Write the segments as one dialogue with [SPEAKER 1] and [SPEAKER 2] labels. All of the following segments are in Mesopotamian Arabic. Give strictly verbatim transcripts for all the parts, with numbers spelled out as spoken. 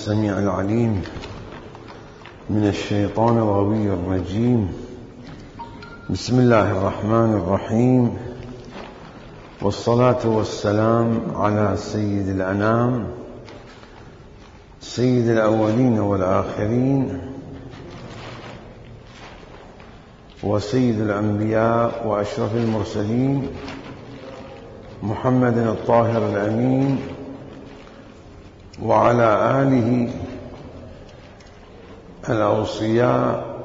[SPEAKER 1] السميع العليم من الشيطان الغوي الرجيم. بسم الله الرحمن الرحيم، والصلاة والسلام على سيد الأنام سيد الأولين والآخرين وسيد الأنبياء وأشرف المرسلين محمد الطاهر الأمين وعلى آله الأوصياء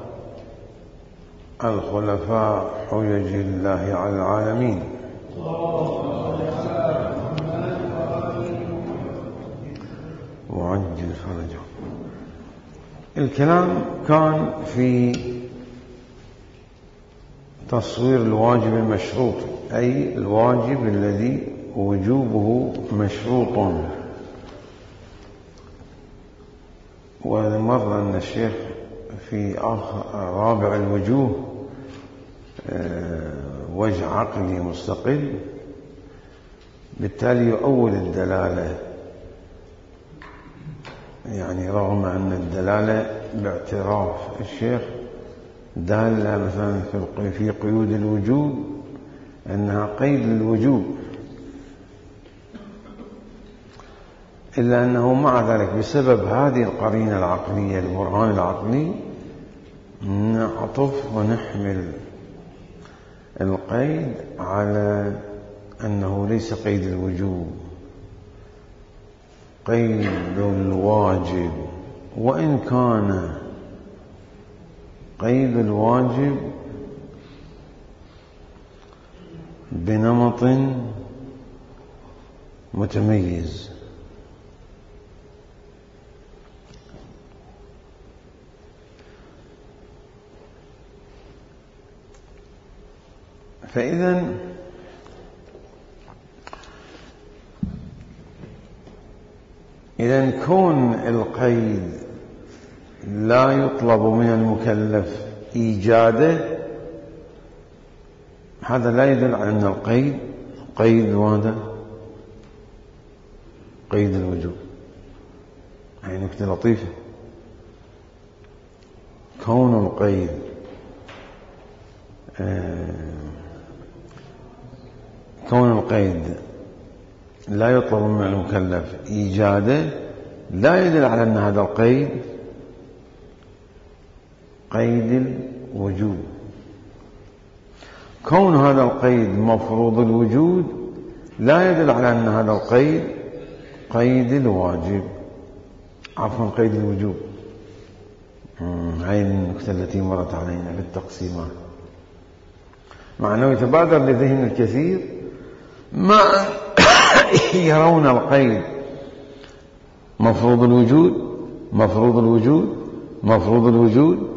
[SPEAKER 1] الخلفاء حجج الله على العالمين. وعجل فرجهم. الكلام كان في تصوير الواجب المشروط، أي الواجب الذي وجوبه مشروط. ومر أن الشيخ في رابع الوجوه وجه عقلي مستقل، بالتالي يؤول الدلالة، يعني رغم أن الدلالة باعتراف الشيخ دالة مثلا في قيود الوجوب أنها قيد للوجوب، إلا أنه مع ذلك بسبب هذه القرينة العقلية البرهان العقلي نعطف ونحمل القيد على أنه ليس قيد الوجوب، قيد الواجب، وإن كان قيد الواجب بنمط متميز. فإذا إذا كون القيد لا يطلب من المكلف إيجاده، هذا لا يدل على أن القيد قيد هذا قيد الوجوب. هاي نكتة لطيفة. كون القيد كون القيد لا يطلب من المكلف إيجاده لا يدل على أن هذا القيد قيد الوجوب. كون هذا القيد مفروض الوجود لا يدل على أن هذا القيد قيد الواجب، عفوا قيد الوجوب. هاي النكتة التي مرت علينا في التقسيمات، مع أنه يتبادر لذهن الكثير ما يرون القيد مفروض الوجود مفروض الوجود مفروض الوجود،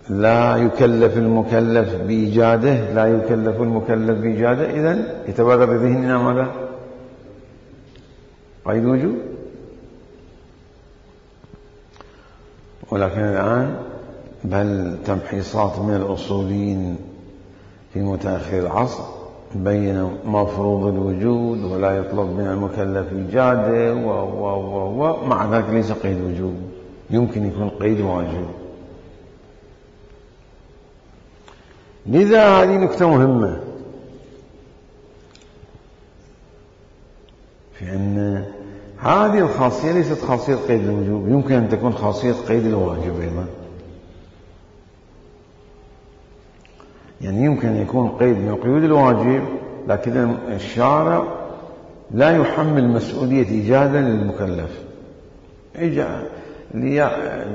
[SPEAKER 1] لا يكلف المكلف بإيجاده لا يكلف المكلف بإيجاده. إذن يتبادر لذهننا ماذا؟ قيد وجود. ولكن الآن بل تمحيصات من الأصوليين في متأخر العصر بين مفروض الوجود ولا يطلب من المكلف إيجاده و و و و مع ذلك ليس قيد وجوب، يمكن يكون قيد واجب. لذا هذه نكتة مهمة في أن هذه الخاصية ليست خاصية قيد الوجوب، يمكن أن تكون خاصية قيد الواجب أيضا. يعني يمكن أن يكون قيد من قيود الواجب، لكن الشارع لا يحمل مسؤولية إيجادا للمكلف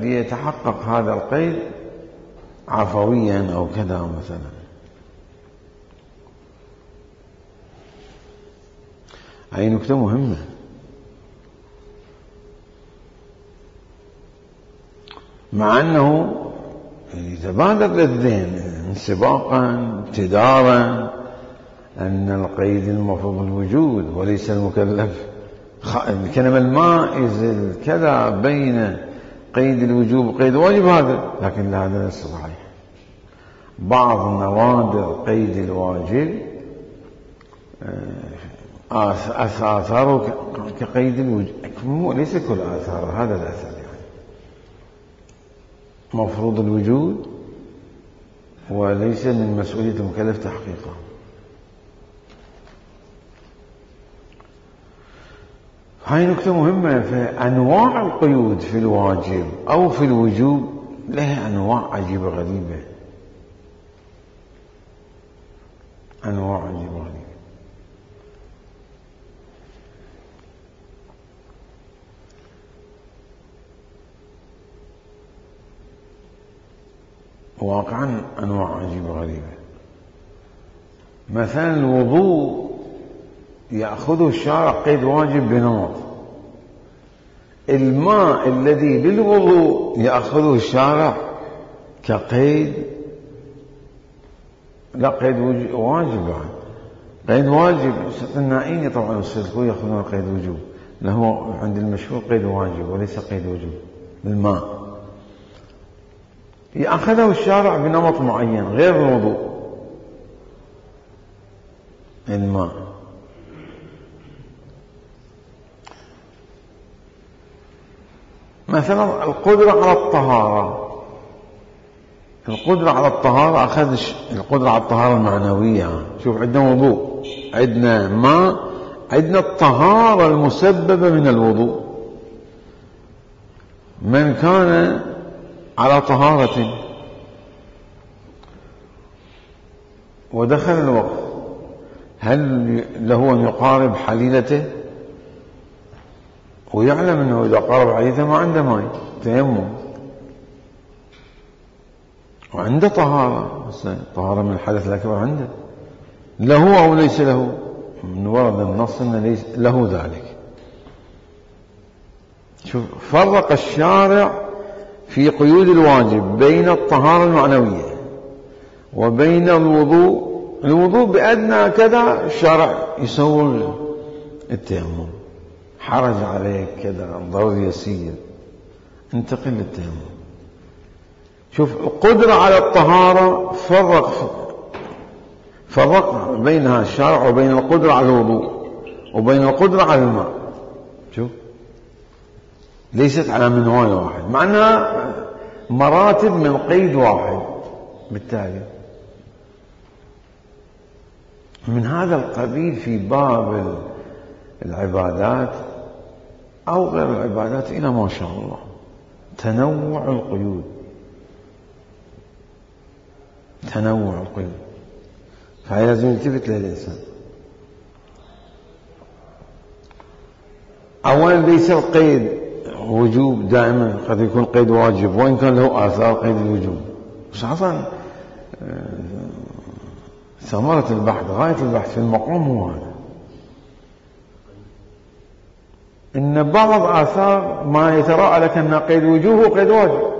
[SPEAKER 1] ليتحقق هذا القيد عفويا أو كذا مثلا. هذه نكتة مهمة. مع أنه يتبادر للذهن انسباقا ابتدارا أن القيد المفروض الوجود وليس المكلف. الكلمة المائز الكذا بين قيد الوجوب وقيد الواجب هذا، لكن هذا ليس صحيح. بعض نوادر قيد الواجب آثاره كقيد الوجود، ليس كل آثار هذا الأثر يعني مفروض الوجود وليس من مسؤولية المكلف تحقيقه. هاي نكتة مهمة. فأنواع القيود في الواجب أو في الوجوب لها أنواع عجيبة غريبة، أنواع عجيبة غريبة. واقعا أنواع عجيبة غريبة. مثلا الوضوء يأخذه الشارع قيد واجب بنمط، الماء الذي للوضوء يأخذه الشارع كقيد لا قيد واجب بعد، قيد واجب. النائين طبعا السلكوية يأخذون قيد وجوب، له عند المشهور قيد واجب وليس قيد وجوب. الماء يأخذه الشارع بنمط معين غير الوضوء. الماء مثلا القدرة على الطهارة، القدرة على الطهارة أخذ القدرة على الطهارة المعنوية. شوف عندنا وضوء، عندنا ماء، عندنا الطهارة المسببة من الوضوء. من كان على طهارة ودخل الوقت هل له أن يقارب حليلته ويعلم أنه إذا قارب حليلته ما عنده ماء تيمم وعنده طهارة، طهارة من الحدث الأكبر عنده، له أو ليس له؟ من ورد النص أن ليس له ذلك. شوف فرق الشارع في قيود الواجب بين الطهارة المعنوية وبين الوضوء. الوضوء بأدنى كذا الشارع يسوي التيمم، حرج عليك كذا ضرر يسير انتقل للتيمم. شوف القدرة على الطهارة فرق فرق بينها الشارع وبين القدرة على الوضوء وبين القدرة على الماء. شوف ليست على منوال واحد، مع أنها مراتب من قيد واحد. بالتالي من هذا القبيل في باب العبادات أو غير العبادات إلى ما شاء الله تنوع القيود، تنوع القيود. فهي لازم يلتفت له الإنسان. أولا ليس القيد وجوب دائما، قد يكون قيد واجب وإن كان له آثار قيد الوجوب. بس أصلا ثمرة البحث، غاية البحث في المقام هو هذا، إن بعض آثار ما يتراءى لك أنها قيد وجوب وقيد واجب،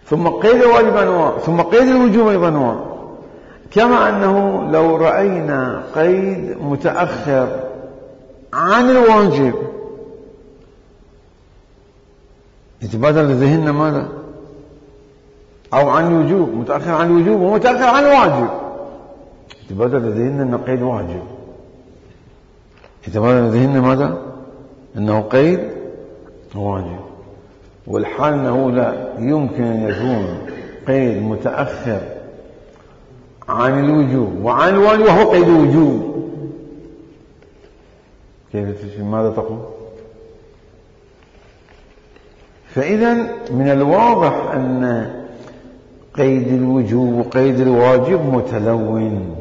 [SPEAKER 1] ثم قيد الواجب أنواع، ثم قيد الوجوب أيضا أنواع. كما أنه لو رأينا قيد متأخر عن الواجب يتبادر لذهننا ماذا؟ أو عن الوجوب، متأخر عن الوجوب ومتأخر عن الواجب، يتبادر لذهننا أنه قيد واجب، يتبادر لذهننا ماذا؟ أنه قيد واجب. والحال أنه لا يمكن أن يكون قيد متأخر عن الوجوب وعن الواجب وهو قيد وجوب. كيف ماذا تقول؟ فإذا من الواضح أن قيد الوجوب وقيد الواجب متلون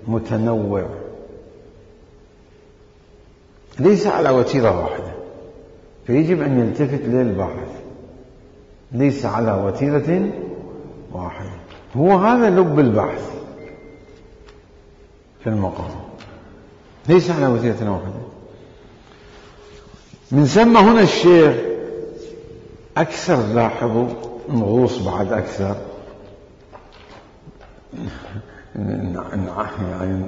[SPEAKER 1] متنوع، ليس على وتيرة واحدة، فيجب أن يلتفت للباحث، ليس على وتيرة واحدة. هو هذا لب البحث في المقام، ليس على وتيرة واحدة. من ثم هنا الشيخ أكثر، لاحظوا نغوص بعد أكثر يعني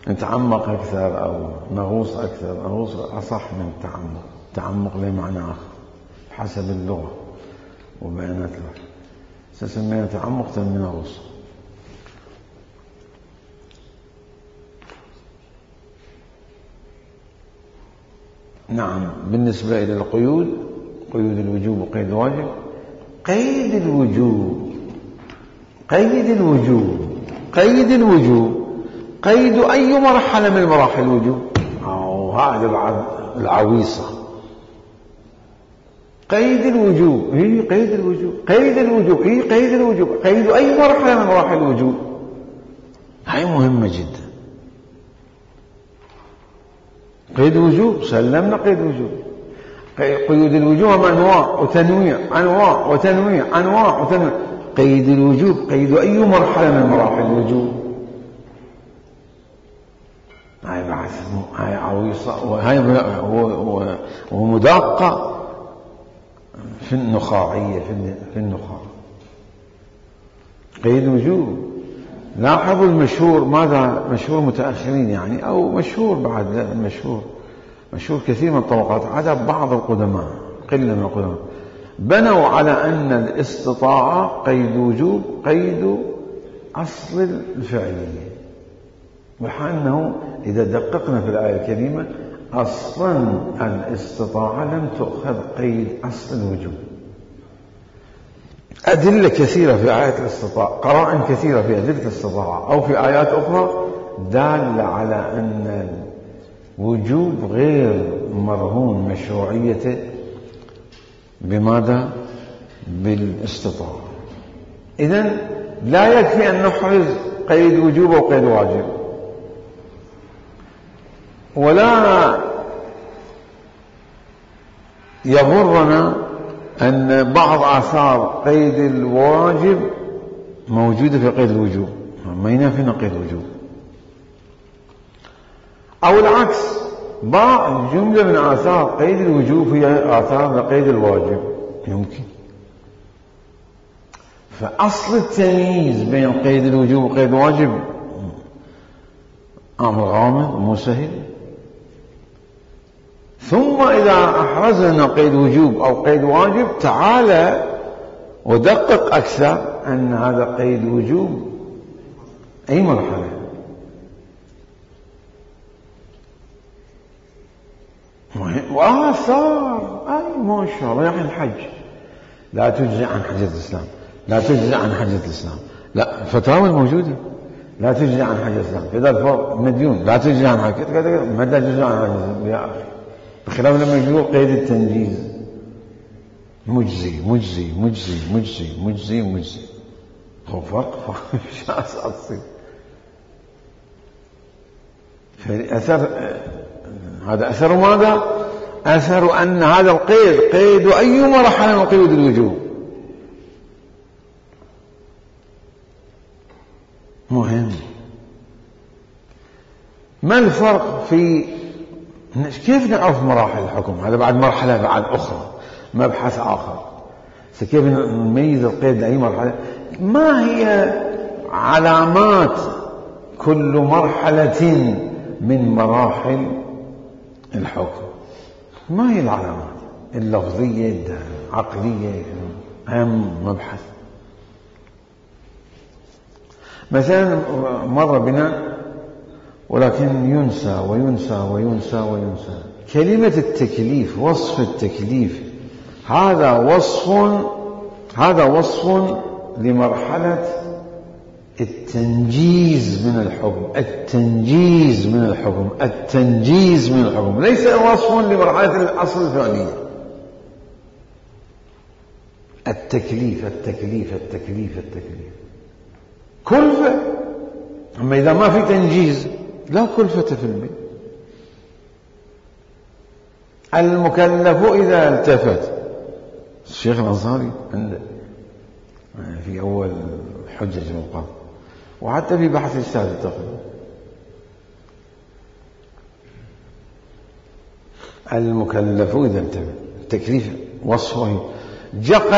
[SPEAKER 1] نتعمق أكثر أو نغوص أكثر. نغوص أصح من التعمق، تعمق له معنى آخر حسب اللغة وبيانات له. سسمينا تعمق تنمي نغوص. نعم. بالنسبة إلى القيود، قيود الوجوب وقيد الواجب، قيد الوجوب قيد الوجوب قيد الوجوب قيد أي مرحلة من مراحل الوجوب. أو هذا بعد العويصة. قيد الوجوب هي قيد الوجوب قيد الوجوب هي قيد الوجوب قيد أي مرحلة من مراحل الوجوب. هاي مهمة جدا. قيد وجوب سلمنا قيد وجوب. قيود الوجوب أنواع وتنويع أنواع وتنويع أنواع وتنويع. قيد الوجوب قيد أي مرحلة من مراحل الوجوب. هاي بعث هاي عويصة وهاي ومدقة في النخاعية في النخاع. قيد وجوب. لاحظوا المشهور، ماذا مشهور متأخرين يعني أو مشهور بعد مشهور مشهور كثير من الطبقات عدا بعض القدماء قلة من القدماء بنوا على أن الاستطاعة قيد وجوب قيد أصل الفعلية، وحال أنه إذا دققنا في الآية الكريمة أصلا الاستطاعة لم تؤخذ قيد أصل الوجوب. أدلة كثيرة في آيات الاستطاعة، قرائن كثيرة في أدلة الاستطاعة أو في آيات أخرى دالة على أن الوجوب غير مرهون مشروعيته بماذا؟ بالاستطاعة. إذن لا يكفي أن نحرز قيد وجوب وقيد واجب، ولا يغرنا أن بعض آثار قيد الواجب موجودة في قيد الوجوب، ما ينافينا قيد الوجوب. أو العكس، بعض جملة من آثار قيد الوجوب هي آثار لقيد الواجب، يمكن. فأصل التمييز بين قيد الوجوب وقيد الواجب أمر غامض مو سهل. ثم إذا أحرزنا قيد وجوب أو قيد واجب تعالى ودقق أكثر أن هذا قيد وجوب أي مرحلة؟ وآثار أي ما شاء الله، يعني الحج لا تجزي عن حجة الإسلام، لا تجزي عن حجة الإسلام، لا فتاوى الموجودة لا تجزي عن حجة الإسلام، إذا الفرد مديون لا تجزي عن حجة كذا ما لا تجزي عن حجة الإسلام يا أخي. بخلاف لما يقولوا قيد التنجيز مجزي مجزي مجزي مجزي مجزي مجزي هو فرق شاسع تصير. فالأثر هذا أثر ماذا؟ أثر أن هذا القيد قيد أي مرحلة من قيود الوجوب. مهم. ما الفرق في كيف نعرف مراحل الحكم؟ هذا بعد مرحلة بعد أخرى، مبحث آخر. كيف نميز القيد لأي مرحلة؟ ما هي علامات كل مرحلة من مراحل الحكم؟ ما هي العلامات اللفظية العقلية؟ أهم مبحث. مثلا مر بنا ولكن ينسى وينسى وينسى وينسى كلمة التكليف، وصف التكليف، هذا وصف هذا وصف لمرحلة التنجيز من الحكم، التنجيز من الحكم، التنجيز من الحكم، ليس وصف لمرحلة الأصل الفعلية. التكليف التكليف التكليف التكليف كلفة. أما إذا ما في تنجيز لا كلفة في البيت. المكلف إذا التفت، الشيخ الأنصاري عنده في أول حجة المقام وحتى في بحث الأستاذ التقريب، المكلف إذا التفت، التكليف وصفه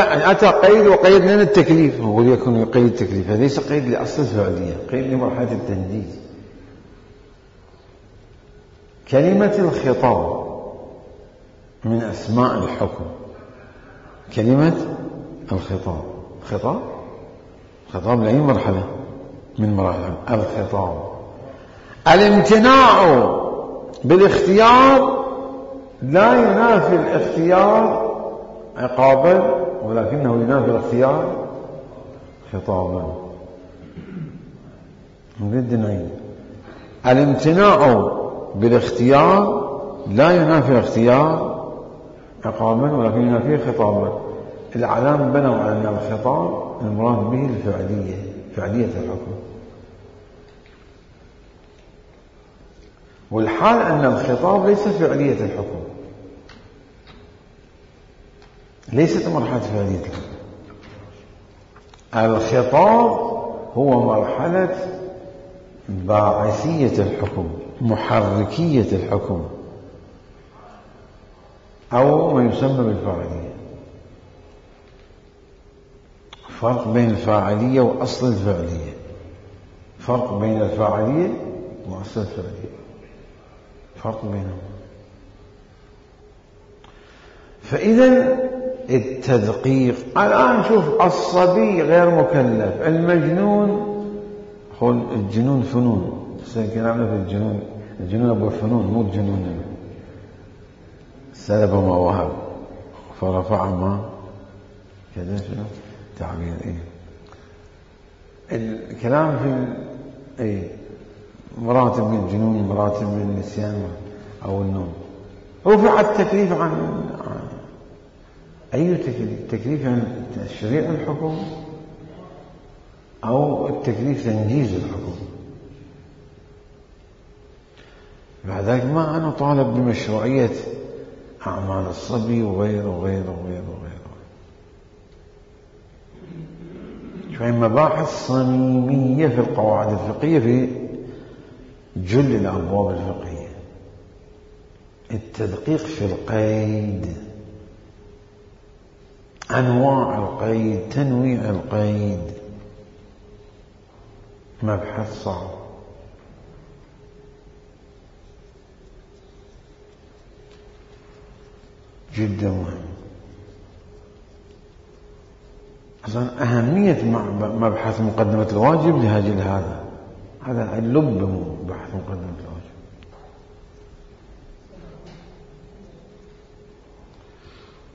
[SPEAKER 1] أتى قيد وقيد لنا التكليف، هو يكون يقيد التكليف، ليس قيد لأصل الفعلية، قيد لمرحلة التنجيز. كلمة الخطاب من أسماء الحكم، كلمة الخطاب، خطاب خطاب لأي مرحلة من مراحل الخطاب. الامتناع بالاختيار لا ينافي الاختيار عقابا ولكنه ينافي الاختيار خطابا. نريد نعيد. الامتناع بالاختيار لا ينافي الاختيار عقابا ولكن ينافيه خطابا. الأعلام بنوا على أن الخطاب المراد به الفعلية، فعلية الحكم، والحال أن الخطاب ليس فعلية الحكم، ليست مرحلة فعلية الحكم. الخطاب هو مرحلة باعثية الحكم، محركية الحكم، أو ما يسمى بالفاعلية. فرق بين الفاعلية وأصل الفعلية، فرق بين الفاعلية وأصل الفعلية، فرق بينهم. فإذا التدقيق الآن شوف، الصبي غير مكلف، المجنون، خل الجنون فنون، كلامنا في الجنون، الجنون أبو الفنون مو الجنون سلب ما وهب فرفع ما كذا شنو تعبير. إيه الكلام في إيه مراتب من الجنون، مراتب من النسيان أو النوم. رفع التكليف عن, عن أي تكليف؟ التكليف عن تشريع الحكم أو التكليف تنجيز الحكم. بعد ذلك ما أنا طالب بمشروعية أعمال الصبي وغيره وغيره وغيره وغيره. شوية مباحث صميمية في القواعد الفقهية في جل الأبواب الفقهية. التدقيق في القيد، أنواع القيد، تنويع القيد، مبحث صعب. جدا مهم. أصلا أهمية مبحث مقدمة الواجب لهذا هذا هذا اللب بحث مقدمة الواجب.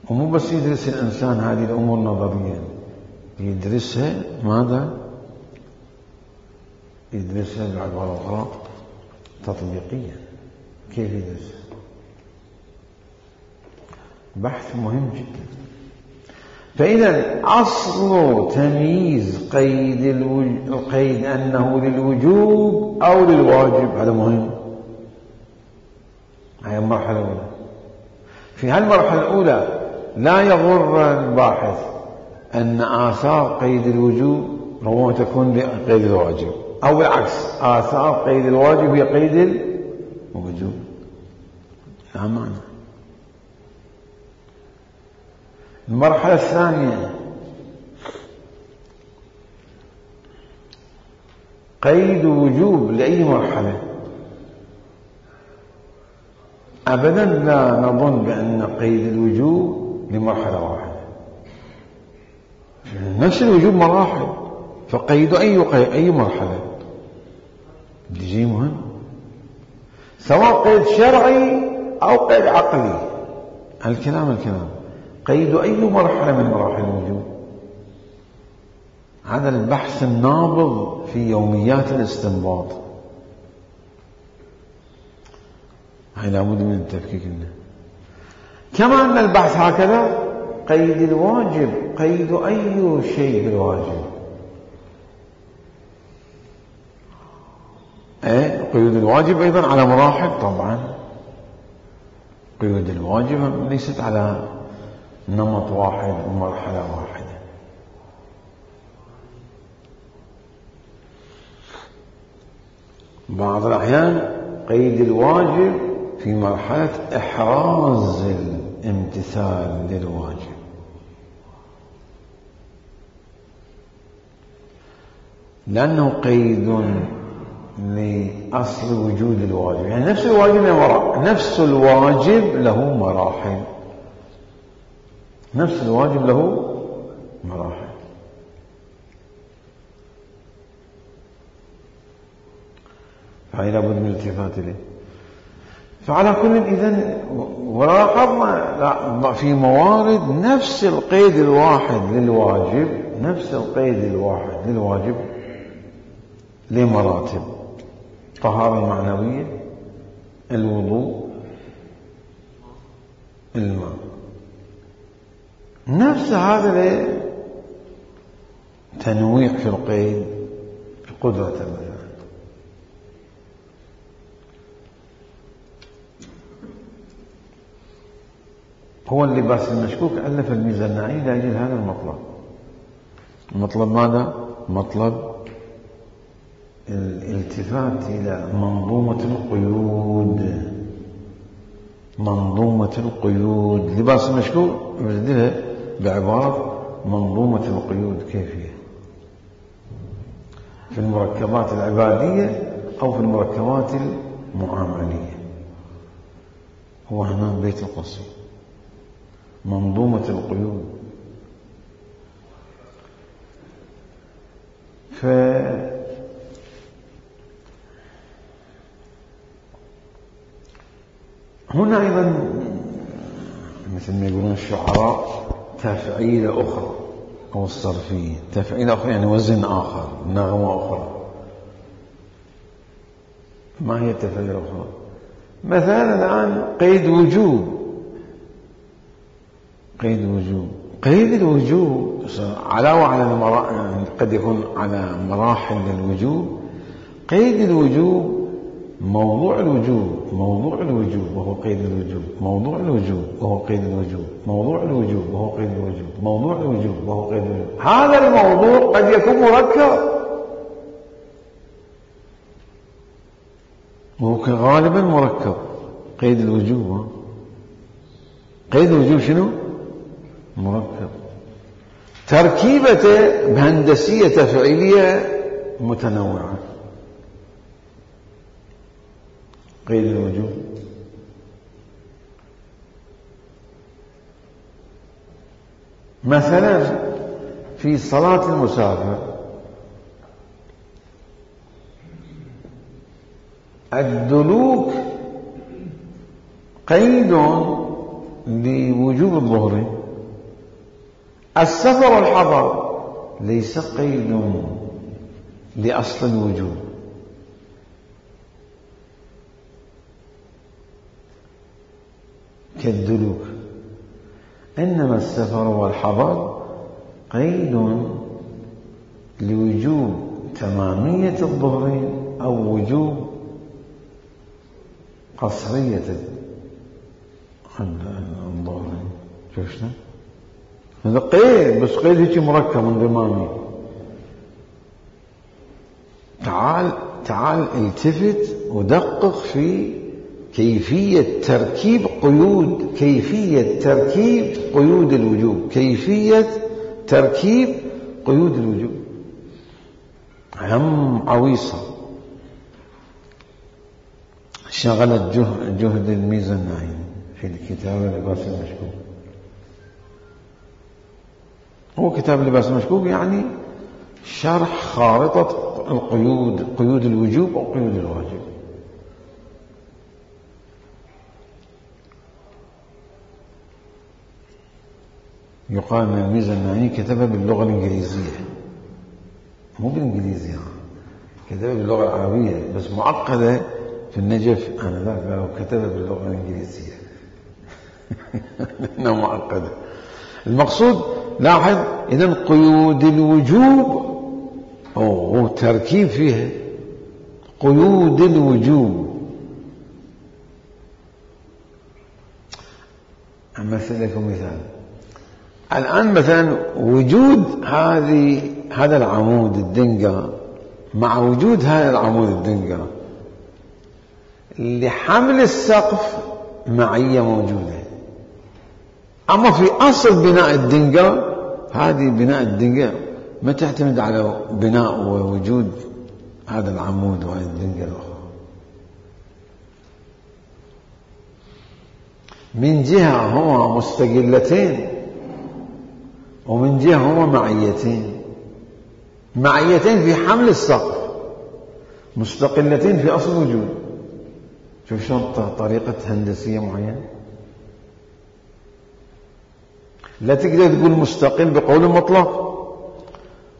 [SPEAKER 1] ومو بس يدرس الإنسان هذه الأمور نظريا، يدرسها ماذا؟ يدرسها بعد ورقات تطبيقيا. كيف يدرسها؟ بحث مهم جدا. فإذا أصل تمييز قيد القيد أنه للوجوب أو للواجب، هذا مهم. هذه المرحلة الأولى. في هالمرحلة الأولى لا يغر الباحث أن آثار قيد الوجوب ربما تكون لقيد الواجب، أو بالعكس آثار قيد الواجب هي قيد الوجوب. لا معنى. المرحلة الثانية قيد وجوب لأي مرحلة. أبدا لا نظن بأن قيد الوجوب لمرحلة واحدة، نفس الوجوب مراحل، فقيد أي قيد أي مرحلة يجي مهم، سواء قيد شرعي أو قيد عقلي. الكلام الكلام قيد أي مرحلة من مراحل الوجوب. هذا البحث النابض في يوميات الاستنباط، هاي لابد من التفكيك منه. كما أن البحث هكذا قيد الواجب، قيد أي شيء بالواجب. ايه قيود الواجب أيضا على مراحل طبعا. قيود الواجب ليست على نمط واحد ومرحلة واحدة. بعض الأحيان قيد الواجب في مرحلة إحراز الامتثال للواجب، لأنه قيد لأصل وجود الواجب. يعني نفس الواجب له مراحل، نفس الواجب له مراحل، نفس الواجب له مراحل. فهي لابد من الالتفات إليه. فعلى كل إذن ولاحظنا في موارد نفس القيد الواحد للواجب نفس القيد الواحد للواجب لمراتب: طهارة معنوية، الوضوء، الماء. نفس هذا تنويع في القيد قدرة المثال. هو اللباس المشكوك ألف الميزة النائي لأجل هذا المطلب. المطلب ماذا؟ مطلب الالتفات إلى منظومة القيود. منظومة القيود لباس المشكوك يبدلها بعبارة منظومة القيود. كيف هي؟ في المركبات العبادية أو في المركبات المعاملية. هو هنا بيت القصيد منظومة القيود. ف هنا أيضا مثل ما يقولون الشعراء تفعيلة أخرى أو الصرفية. تفعيلة أخرى يعني وزن آخر، نغمة أخرى. ما هي التفعيلة الأخرى؟ مثلا الآن قيد وجوب. قيد وجوب قيد الوجوب علاوة على المرا... يعني قد يكون على مراحل للوجوب. قيد الوجوب موضوع الوجوب موضوع الوجوب وهو قيد الوجوب موضوع الوجوب وهو قيد الوجوب موضوع الوجوب وهو قيد الوجوب موضوع الوجوب وهو قيد الوجوب. هذا الموضوع قد يكون مركب وهو غالبا مركب. قيد الوجوب قيد الوجوب شنو؟ مركب. تركيبته بهندسية تفعيلية متنوعة. قيد الوجوب مثلا في صلاة المسافر الدلوك قيد لوجوب الظهر. السفر والحضر ليس قيد لأصل الوجوب. كالدلوك. إنما السفر والحضر قيد لوجوب تمامية الظهر أو وجوب قصرية الظهر. شفنا؟ هذا قيد، بس قيد هيك مركب انضمامي. تعال تعال التفت ودقق في كيفية تركيب قيود كيفية تركيب قيود الوجوب كيفية تركيب قيود الوجوب. هم عويصة شغلت جهد الميزة النائي في الكتاب لباس المشكوك. هو كتاب لباس المشكوك يعني شرح خارطة القيود قيود الوجوب أو قيود الواجب. يقال أن الميزة النائي كتبها باللغة الإنجليزية، مو بالإنجليزية، كتبها باللغة العربية بس معقدة في النجف. أنا لا كتبها باللغة الإنجليزية لأنها معقدة. المقصود لاحظ إذن قيود الوجوب أو تركيب فيها قيود الوجوب. أمثل لكم مثال. الآن مثلا وجود هذه هذا العمود الدنقة مع وجود هذا العمود الدنقة لحمل السقف معية موجودة. أما في أصل بناء الدنقة هذه بناء الدنقة ما تعتمد على بناء ووجود هذا العمود وهذه الدنقة الأخرى. من جهة هما مستقلتين ومن جهة هما معيتين. معيتين في حمل السقف، مستقلتين في أصل الوجود. شوف شلون طريقة هندسية معينة. لا تقدر تقول مستقل بقول مطلق،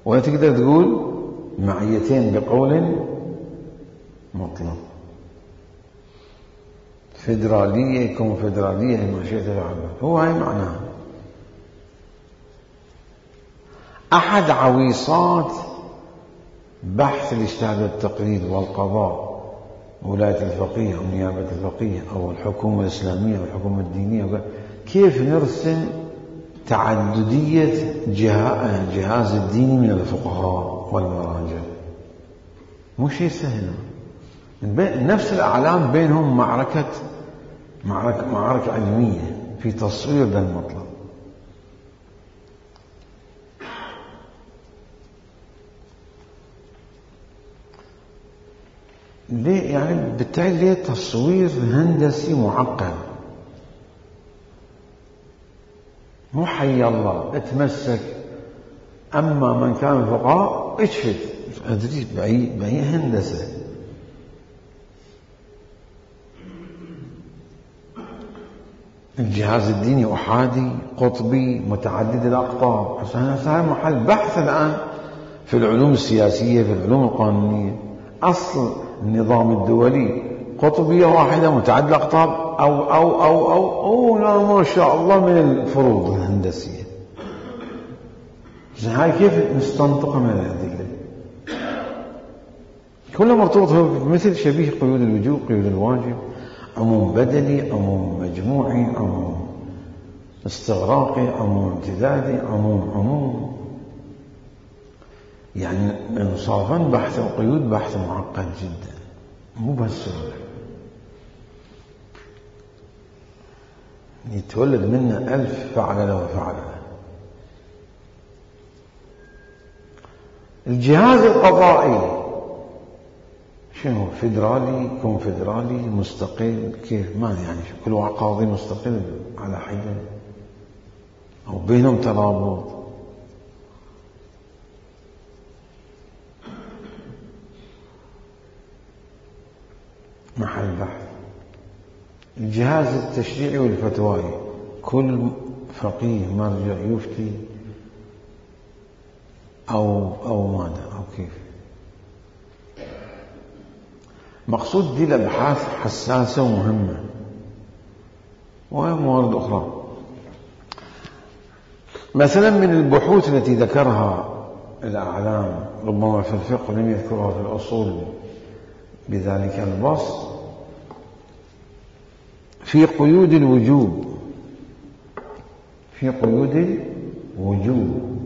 [SPEAKER 1] ولا تقدر تقول معيتين بقول مطلق. فيدرالية كونفدرالية ما شئت فعله، هو هاي معناها. أحد عويصات بحث الاجتهاد والتقليد والقضاء ولاية الفقيه أو نيابة الفقيه أو الحكومة الإسلامية أو الحكومة الدينية، كيف نرسم تعددية جهاز الديني من الفقهاء والمراجع. مو شيء سهل. نفس الأعلام بينهم معركة معركة, معركة علمية في تصوير ذا المطلب. ليه يعني بالتالي ليه تصوير هندسي معقد. مو حي الله اتمسك، أما من كان فقهاء اشفت أدري بأي, بأي هندسة. الجهاز الديني أحادي قطبي متعدد الأقطاب. هذا محل بحث الآن في العلوم السياسية، في العلوم القانونية. أصل النظام الدولي قطبية واحدة متعدد الأقطاب أو أو أو أو أو لا ما شاء الله من الفروض الهندسية. هاي كيف نستنطقها من الأدلة؟ كله مرتبط مثل شبيه قيود الوجوب، قيود الواجب، عموم بدلي، عموم مجموعي، عموم استغراقي، عموم امتدادي، عموم عموم. يعني انصافا بحث القيود بحث معقد جدا، مو بهالسهولة. يتولد منه ألف فعل وفعل. الجهاز القضائي شنو؟ فيدرالي كونفدرالي مستقل؟ كيف؟ ما يعني كل واحد قاضي مستقل على حدة أو بينهم ترابط. محل بحث. الجهاز التشريعي والفتوائي كل فقيه مرجع يفتي أو أو ماذا أو كيف. مقصود دي الأبحاث حساسة ومهمة، وهي موارد أخرى. مثلا من البحوث التي ذكرها الأعلام ربما في الفقه لم يذكرها في الأصول بذلك البسط، في قيود الوجوب. في قيود الوجوب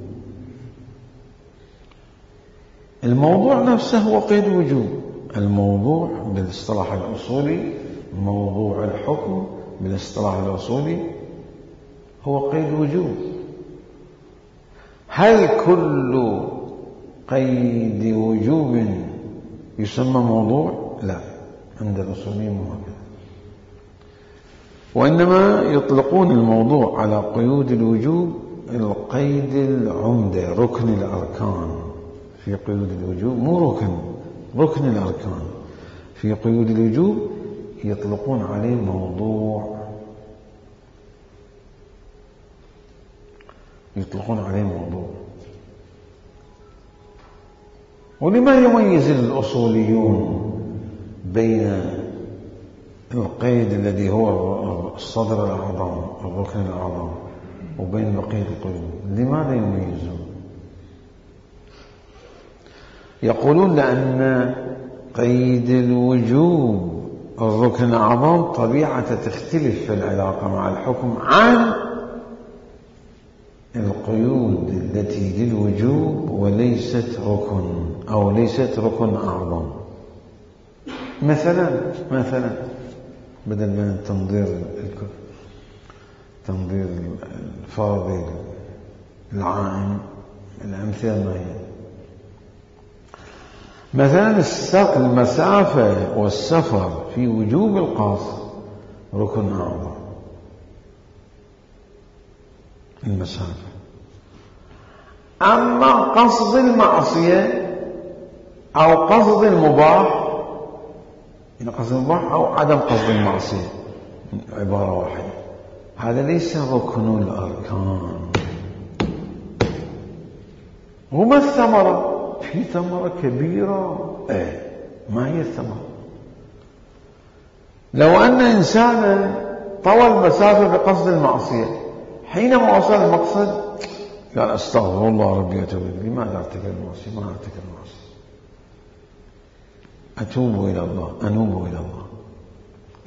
[SPEAKER 1] الموضوع نفسه هو قيد وجوب. الموضوع بالاصطلاح الأصولي، موضوع الحكم بالاصطلاح الأصولي هو قيد وجوب. هل كل قيد وجوب يسمى موضوع؟ لا، عند الأصوليين مو هكذا، وإنما يطلقون الموضوع على قيود الوجوب القيد العمدة، ركن الأركان. في قيود الوجوب مو ركن، ركن الأركان. في قيود الوجوب يطلقون عليه موضوع، يطلقون عليه موضوع. ولما يميز الأصوليون بين القيد الذي هو الصدر الأعظم الركن الأعظم وبين بقية القيود؟ لماذا يميزون؟ يقولون لأن قيد الوجوب الركن الأعظم طبيعة تختلف في العلاقة مع الحكم عن القيود التي للوجوب وليست ركن أو ليست ركن أعظم. مثلا مثلا بدل من تنظير تنظير الفرض العائم، الأمثلة ما هي؟ مثلا المسافة والسفر في وجوب القصد ركن أعظم. المسافة. أما قصد المعصية أو قصد المباح يعني قصد المباح أو عدم قصد المعصية، عبارة واحدة. هذا ليس ركن الأركان. وما الثمرة؟ في ثمرة كبيرة. ايه، ما هي الثمرة؟ لو أن إنسانا طوى المسافة بقصد المعصية، حينما وصل المقصد قال أستغفر الله ربي أتوب إليه، لماذا ارتكب المعصية؟ ما ارتكب المعصية، أتوب إلى الله، أنوب إلى الله،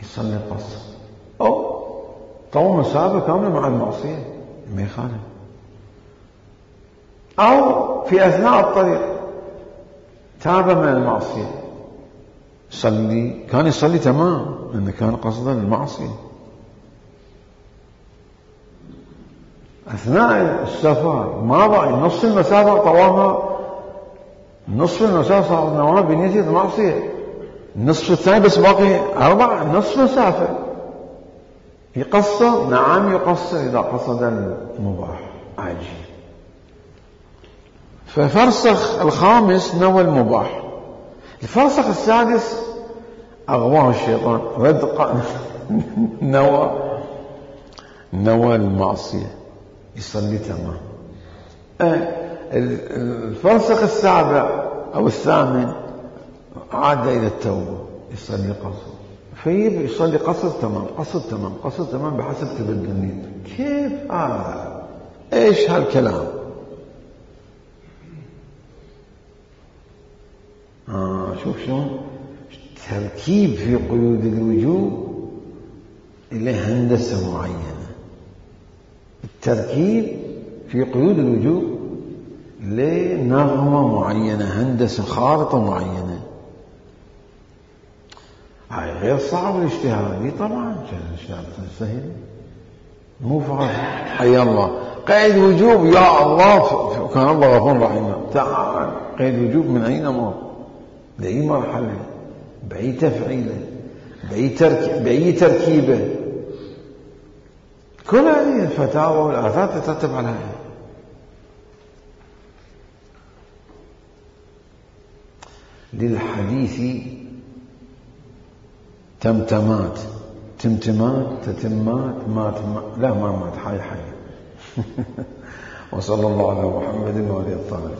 [SPEAKER 1] يصلي القصر. أو طوى مسافة كاملة مع المعصية، ما يخالف. أو في أثناء الطريق تاب من المعصية، صلي، كان يصلي تمام لأنه كان قصدا المعصية. أثناء السفر ما ضاع نصف المسافة طواها، نصف المسافة صار نواها بنية المعصية، النصف الثاني بس باقي أربع، نصف مسافة يقصر. نعم يقصر إذا قصد المباح عاجل. ففرسخ الخامس نوى المباح. الفرسخ السادس أغواه الشيطان، رد نوى نوى المعصية، يصلي تمام. الفرسخ السابع أو الثامن عاد إلى التوبة، يصلي قصر، فيب يصلي قصر تمام، قصر تمام، قصر تمام بحسب تبدل النية. كيف هذا؟ إيش هالكلام؟ آه شوف شلون تركيب في قيود الوجوب إلى هندسة معينة. التركيب في قيود الوجوب لنغمة معينة، هندسة خارطة معينة. هاي غير صعب الاجتهاد طبعا، الاجتهاد سهل مو فاضي. حي الله، قيد وجوب يا الله، كان الله غفور رحيم. تعال قيد وجوب من أي نمط، بأي مرحلة، بأي تفعيلة، بأي, ترك... بأي تركيبة. كل هذه الفتاوى والآثار تترتب على هذا. للحديث تمتمات، تمتمات، تتمات، مات ما... لا ما مات، حي حي. وصلى الله على محمد وعلى آله الطاهرين.